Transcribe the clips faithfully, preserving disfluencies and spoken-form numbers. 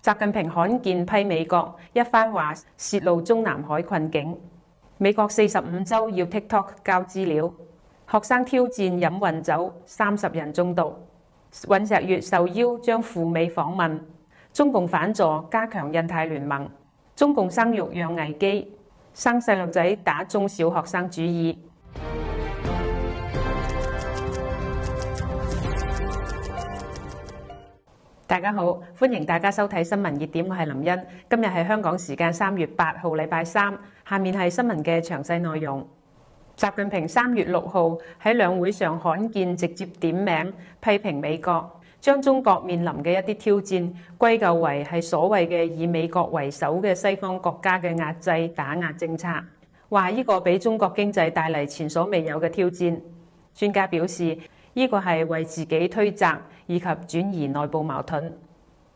習近平罕見批美國一番話泄露中南海困境。美國四十五週要 TikTok 交資料，學生挑戰飲混酒，三十人中毒。尹錫悅受邀將赴美訪問。中共反助加強印太聯盟。中共生育養危機，生細路仔打中小學生主意。大家好，歡迎大家收睇新聞熱點，我係林茵。今日係香港時間三月八號，禮拜三。下面係新聞嘅詳細內容。習近平三月六號喺兩會上罕見直接點名批評美國，將中國面臨嘅一啲挑戰歸咎為係所謂嘅以美國為首嘅西方國家嘅壓制打壓政策，話呢個俾中國經濟帶嚟前所未有嘅挑戰。專家表示，呢個係為自己推責以及轉移內部矛盾。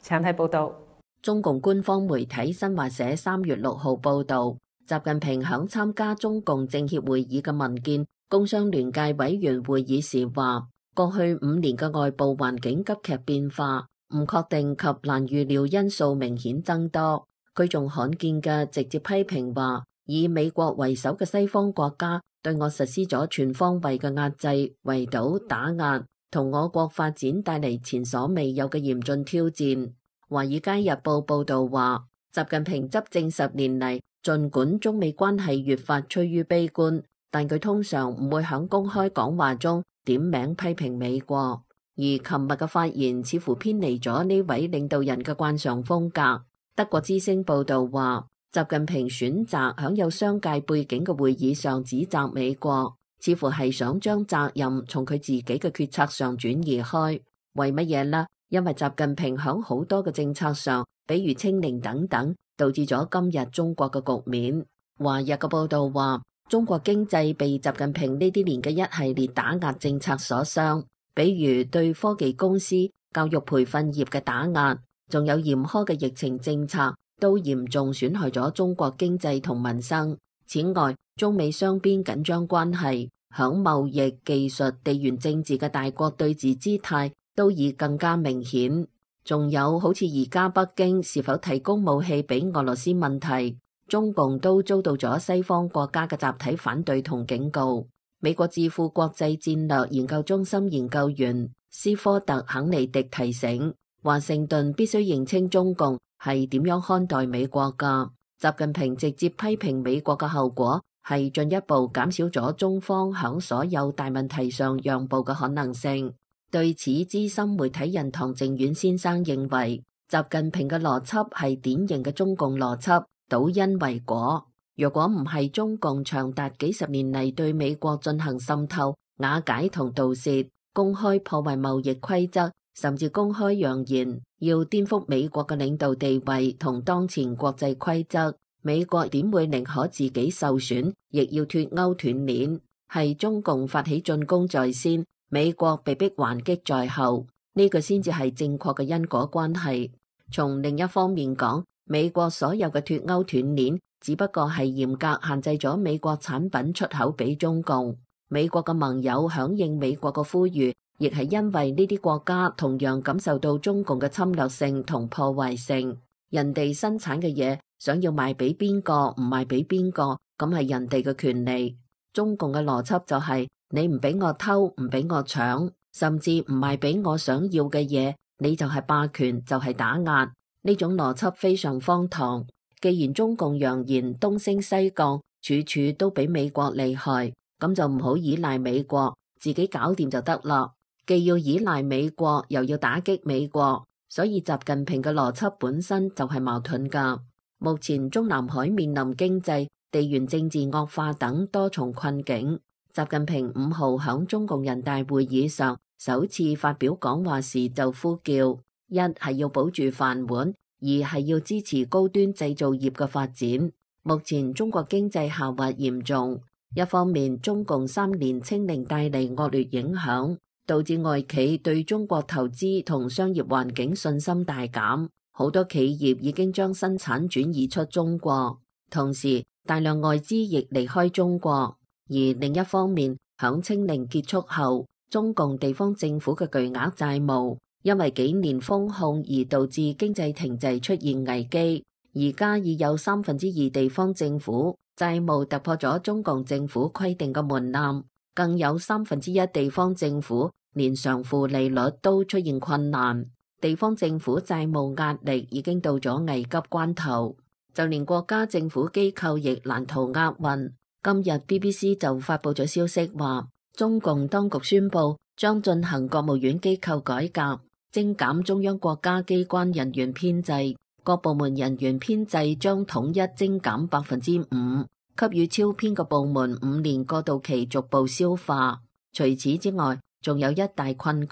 請睇報道。中共官方媒體新華社三月六號報導，習近平響參加中共政協會議嘅民建工商聯界委員會議時話，過去五年嘅外部環境急劇變化，唔確定及難預料因素明顯增多。佢仲罕見嘅直接批評話，以美國為首嘅西方國家對我實施咗全方位嘅壓制、圍堵、打壓，同我國發展帶嚟前所未有嘅嚴峻挑戰。華爾街日報報導話，習近平執政十年嚟，儘管中美關係越發趨於悲觀，但佢通常唔會喺公開講話中點名批評美國。而琴日嘅發言似乎偏離咗呢位領導人嘅慣常風格。德國之聲報導話，習近平選擇喺有商界背景嘅會議上指責美國，似乎係想將責任從佢自己嘅決策上轉移開。為乜嘢呢？因為習近平喺好多嘅政策上，比如清零等等，導致咗今日中國嘅局面。華日嘅報導話，中國經濟被習近平呢啲年嘅一系列打壓政策所傷，比如對科技公司、教育培訓業嘅打壓，仲有嚴苛嘅疫情政策，都嚴重損害咗中國經濟同民生。此外，中美雙邊緊張關係，響貿易、技術、地緣政治嘅大國對峙姿態都已更加明顯。仲有好似而家北京是否提供武器俾俄羅斯問題，中共都遭到咗西方國家嘅集體反對同警告。美國智庫國際戰略研究中心研究員斯科特肯尼迪提醒，華盛頓必須認清中共係點樣看待美國㗎。習近平直接批評美國嘅後果係進一步減少咗中方響所有大問題上讓步嘅可能性。對此，資深媒體人唐靖遠先生認為，習近平嘅邏輯係典型嘅中共邏輯，倒因為果。若果唔係中共長達幾十年嚟對美國進行滲透、瓦解同盜竊，公開破壞貿易規則，甚至公開揚言要顛覆美國嘅領導地位同當前國際規則，美國點會寧可自己受損，亦要脫鈎斷鏈？係中共發起進攻在先，美國被迫還擊在後，呢個先至係正確嘅因果關係。從另一方面講，美國所有嘅脫鈎斷鏈，只不過係嚴格限制咗美國產品出口俾中共。美國嘅盟友響應美國嘅呼籲，亦係因為呢啲國家同樣感受到中共嘅侵略性同破壞性。人哋生產嘅嘢，想要賣俾邊個唔賣俾邊個，咁係人哋嘅權利。中共嘅邏輯就係、是，你唔俾我偷，唔俾我搶，甚至唔賣俾我想要嘅嘢，你就係霸權，就係、是、打壓。呢種邏輯非常荒唐。既然中共揚言東升西降，處處都比美國厲害，咁就唔好依賴美國，自己搞掂就得啦。既要依賴美國，又要打擊美國，所以習近平嘅邏輯本身就係矛盾㗎。目前中南海面臨經濟、地緣政治惡化等多重困境。習近平五號響中共人大會議上首次發表講話時就呼叫：一係要保住飯碗，二係要支持高端製造業嘅發展。目前中國經濟下滑嚴重，一方面中共三年清零帶嚟惡劣影響，導致外企對中國投資同商業環境信心大減，好多企業已經將生產轉移出中國，同時大量外資亦離開中國。而另一方面，響清零結束後，中共地方政府嘅巨額債務因為幾年封控而導致經濟停滯出現危機，而家已有三分之二地方政府債務突破咗中共政府規定嘅門檻，更有三分之一地方政府連償付利率都出現困難，地方政府債務壓力已經到咗危急關頭，就連國家政府機構亦難逃厄運。今日 B B C 就發佈咗消息話，中共當局宣布將進行國務院機構改革，精簡中央國家機關人員編制，各部門人員編制將統一精減百分之五，給予超編嘅部門五年過渡期逐步消化。除此之外，仲有一大困局，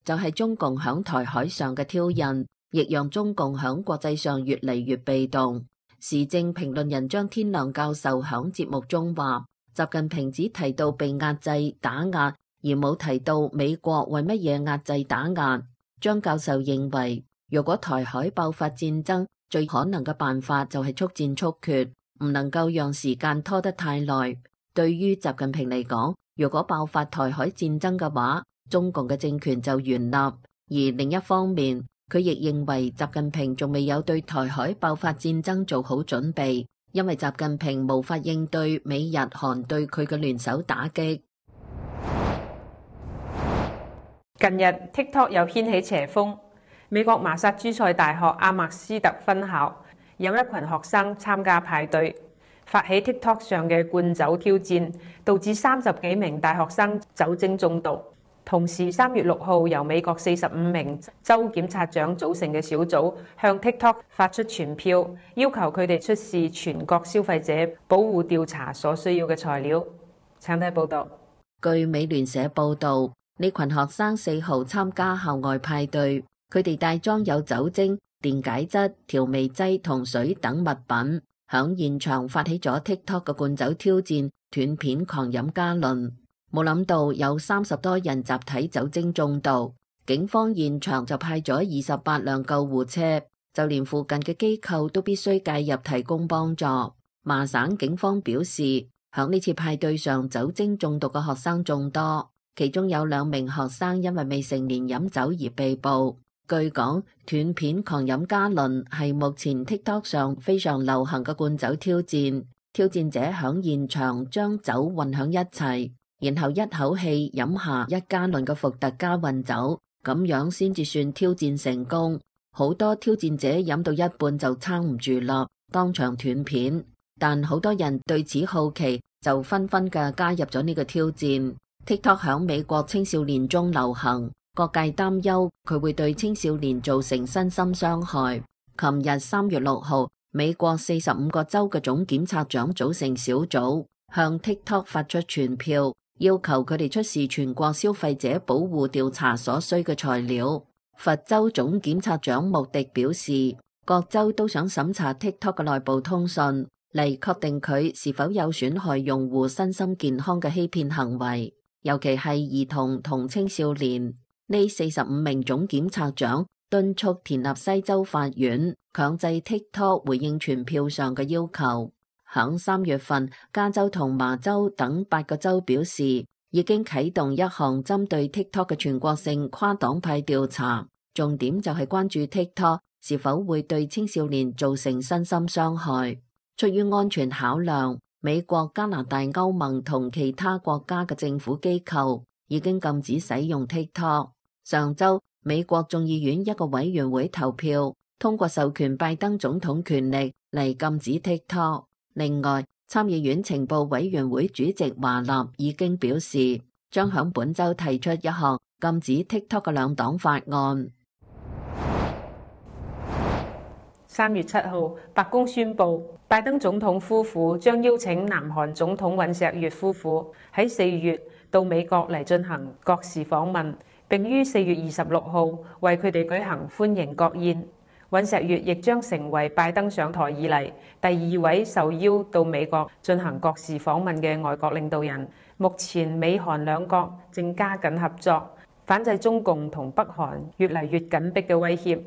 就係中共響台海上嘅挑釁，亦讓中共響國際上越嚟越被動。時政評論人張天亮教授響節目中話，習近平只提到被壓制打壓，而冇提到美國為乜嘢壓制打壓。張教授認為，如果台海爆發戰爭，最可能嘅辦法就係速戰速決，唔能夠讓時間拖得太耐。對於習近平嚟講，如果爆發台海戰爭嘅話，中共嘅政權就完立。而另一方面，佢亦認為習近平仲未有對台海爆發戰爭做好準備，因為習近平無法應對美日韓對佢嘅聯手打擊。近日 TikTok 又掀起邪風，美國麻薩諸塞大學阿默斯特分校有一群學生參加派對，發起 TikTok 上嘅灌酒挑戰，導致三十幾名大學生酒精中毒。同時，三月六號由美國四十五名州檢察長組成嘅小組向 TikTok 發出傳票，要求佢哋出示全國消費者保護調查所需要嘅材料。請睇報道。據美聯社報道，呢群學生四號參加校外派對，佢哋帶裝有酒精、電解質、調味劑同水等物品，響現場發起咗 TikTok 嘅灌酒挑戰，斷片狂飲加侖。冇諗到有三十多人集體酒精中毒，警方現場就派咗二十八輛救護車，就連附近嘅機構都必須介入提供幫助。麻省警方表示，響呢次派對上酒精中毒嘅學生眾多，其中有兩名學生因為未成年飲酒而被捕。據講，斷片狂飲加侖係目前 TikTok 上非常流行嘅灌酒挑戰，挑戰者響現場將酒混響一齊，然後一口氣飲下一加侖嘅伏特加混酒，咁樣先至算挑戰成功。好多挑戰者飲到一半就撐唔住啦，當場斷片。但好多人對此好奇，就紛紛嘅加入咗呢個挑戰。TikTok 響美國青少年中流行，各界擔憂佢會對青少年造成身心傷害。琴日三月六號，美國四十五個州嘅總檢察長組成小組，向 TikTok 發出傳票，要求佢哋出示全國消費者保護調查所需嘅材料。佛州總檢察長穆迪表示，各州都想審查 TikTok 嘅內部通訊，嚟確定佢是否有損害用戶身心健康嘅欺騙行為，尤其係兒童同青少年。呢四十五名總檢察長敦促田納西州法院強制 TikTok 回應傳票上嘅要求。響三月份，加州同麻州等八個州表示，已經啟動一項針對 TikTok 嘅全國性跨黨派調查，重點就係關注 TikTok 是否會對青少年造成身心傷害。出於安全考量，美國、加拿大、歐盟同其他國家嘅政府機構已經禁止使用 TikTok。上週，美國眾議院一個委員會投票，通過授權拜登總統權力嚟禁止 TikTok。另外，參議院情報委員會主席華納已經表示，將響本週提出一項禁止 TikTok 嘅兩黨法案。三月七號，白宮宣布，拜登總統夫婦將邀請南韓總統尹錫悅夫婦喺四月到美國嚟進行國事訪問，並於四月二十六號為佢哋舉行歡迎國宴。尹錫悅亦將成為拜登上台以嚟第二位受邀到美國進行國事訪問嘅外國領導人。目前美韓兩國正加緊合作，反制中共同北韓越嚟越緊迫嘅威脅。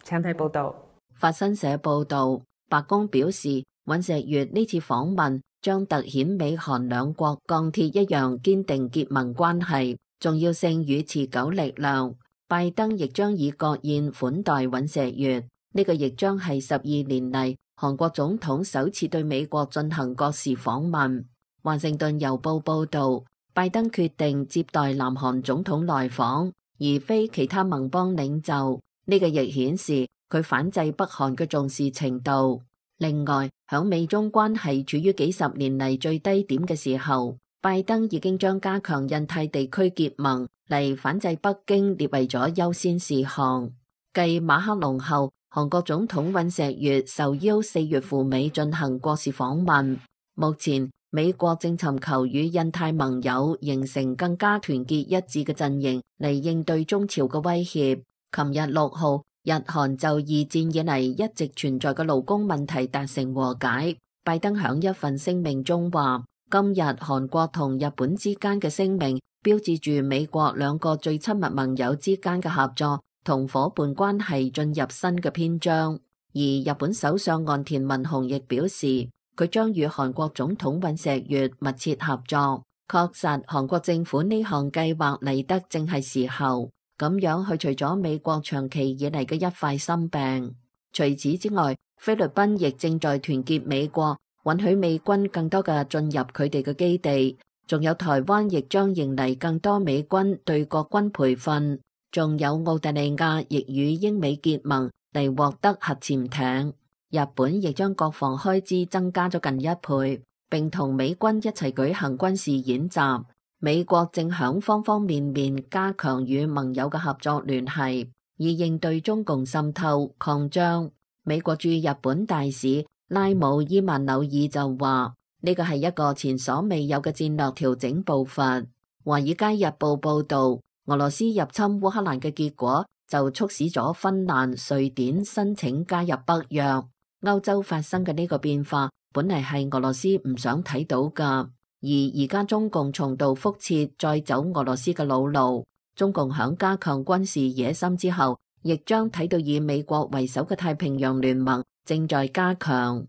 請睇報道。法新社報道，白宮表示，尹錫悅呢次訪問將凸顯美韓兩國鋼鐵一樣堅定結盟關係重要性與持久力量。拜登亦將以國宴款待尹錫悅。呢個亦將係十二年嚟韓國總統首次對美國進行國事訪問。華盛頓郵報報導，拜登決定接待南韓總統來訪，而非其他盟邦領袖。呢個亦顯示佢反制北韓嘅重視程度。另外，響美中關係處於幾十年嚟最低點嘅時候，拜登已經將加強印太地區結盟嚟反制北京列為咗優先事項。繼馬克龍後，韓國總統尹錫悅受邀四月赴美進行國事訪問。目前，美國正尋求與印太盟友形成更加團結一致嘅陣營嚟應對中朝嘅威脅。琴日六號，日韓就二戰以嚟一直存在嘅勞工問題達成和解。拜登響一份聲明中話，今日韓國同日本之間嘅聲明標誌住美國兩個最親密盟友之間嘅合作同夥伴關係進入新嘅篇章。而日本首相岸田文雄亦表示，佢將與韓國總統尹錫悅密切合作。確實，韓國政府呢項計劃嚟得正係時候，咁樣去除咗美國長期以嚟嘅一塊心病。除此之外，菲律賓亦正在團結美國，允許美軍更多嘅進入佢哋嘅基地。仲有台灣亦將迎嚟更多美軍對國軍培訓。仲有澳大利亞亦與英美結盟嚟獲得核潛艇。日本亦將國防開支增加咗近一倍，並同美軍一齊舉行軍事演習。美國正響方方面面加強與盟友嘅合作聯繫，以應對中共滲透擴張。美國駐日本大使拉姆伊曼紐爾就話：呢個係一個前所未有嘅戰略調整步伐。華爾街日報報導，俄羅斯入侵烏克蘭嘅結果就促使咗芬蘭、瑞典申請加入北約。歐洲發生嘅呢個變化，本嚟係俄羅斯唔想睇到㗎，而而家中共重蹈覆轍，再走俄羅斯嘅老路。中共響加強軍事野心之後，亦將睇到以美國為首嘅太平洋聯盟正在加強。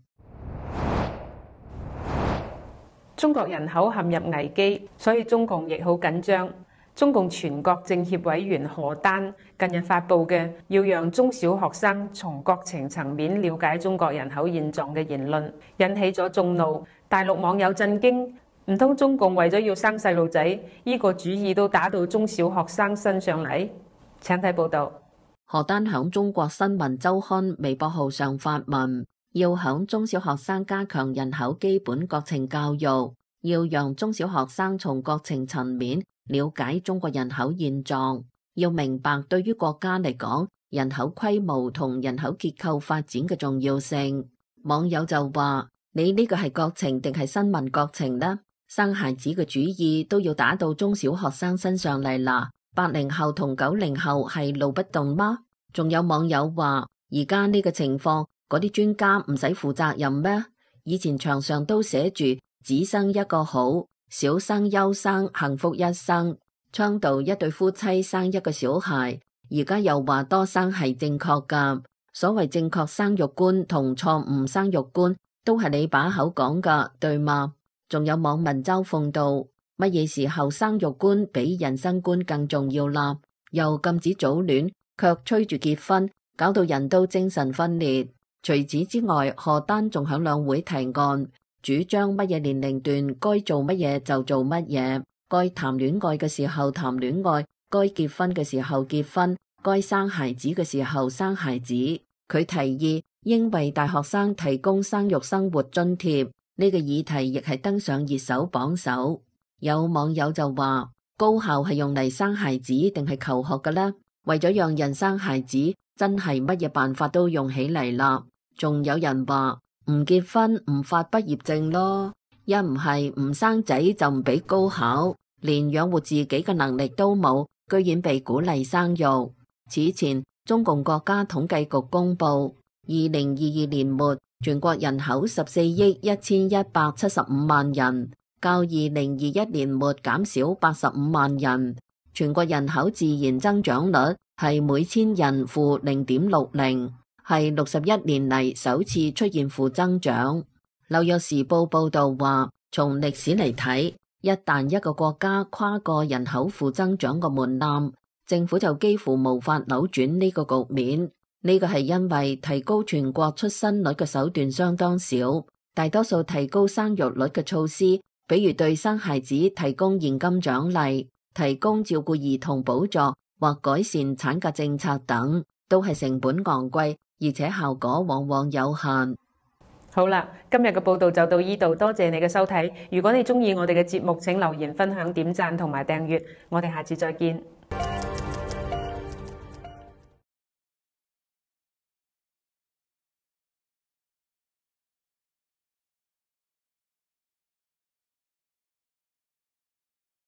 中國人口陷入危機，所以中共亦好緊張。中共全國政協委員何丹近日發布嘅要讓中小學生從國情層面了解中國人口現狀嘅言論，引起咗眾怒。大陸網友震驚，唔通中共為咗要生細路仔，呢個主意都打到中小學生身上嚟？請睇報道。何丹響中國新聞週刊微博號上發文，要響中小學生加強人口基本國情教育，要讓中小學生從國情層面了解中國人口現狀，要明白對於國家嚟講，人口規模同人口結構發展嘅重要性。網友就話：你呢個係國情定係新聞國情呢？生孩子嘅主意都要打到中小學生身上嚟啦。八零後同九零後係路不動嗎？仲有網友話：而家呢個情況，嗰啲專家唔使負責任咩？以前牆上都寫住只生一個好，少生優生，幸福一生。倡導一對夫妻生一個小孩，而家又話多生係正確㗎。所謂正確生育觀同錯誤生育觀，都係你把口講㗎，對嗎？仲有網民嘲諷道：乜嘢時候生育觀比人生觀更重要啦？又禁止早戀，卻催住結婚，搞到人都精神分裂。除此之外，何丹仲響兩會提案，主張乜嘢年齡段該做乜嘢就做乜嘢，該談戀愛嘅時候談戀愛，該結婚嘅時候結婚，該生孩子嘅時候生孩子。佢提議應為大學生提供生育生活津貼，呢個議題亦係登上熱搜榜首。有網友就話：高校係用嚟生孩子定係求學嘅呢？為咗讓人生孩子，真係乜嘢辦法都用起嚟啦。仲有人話唔結婚唔發畢業證咯，一唔係唔生仔就唔俾高考，連養活自己嘅能力都冇，居然被鼓勵生育。此前中共國家統計局公布，二零二二年末全國人口十四億一千一百七十五萬人，較二零二一年末減少八十五萬人。全國人口自然增長率係每千人負零點六零。係六十一年嚟首次出現負增長。紐約時報報道話，從歷史嚟睇，一旦一個國家跨過人口負增長嘅門檻，政府就幾乎無法扭轉呢個局面。呢個係因為提高全國出生率嘅手段相當少，大多數提高生育率嘅措施，比如對生孩子提供現金獎勵、提供照顧兒童補助或改善產假政策等，都係成本昂貴，而且效果往往有限。好啦，今日嘅報道就到呢度，多謝你嘅收睇。如果你鍾意我哋嘅節目，請留言分享、點讚同埋訂閱。我哋下次再見。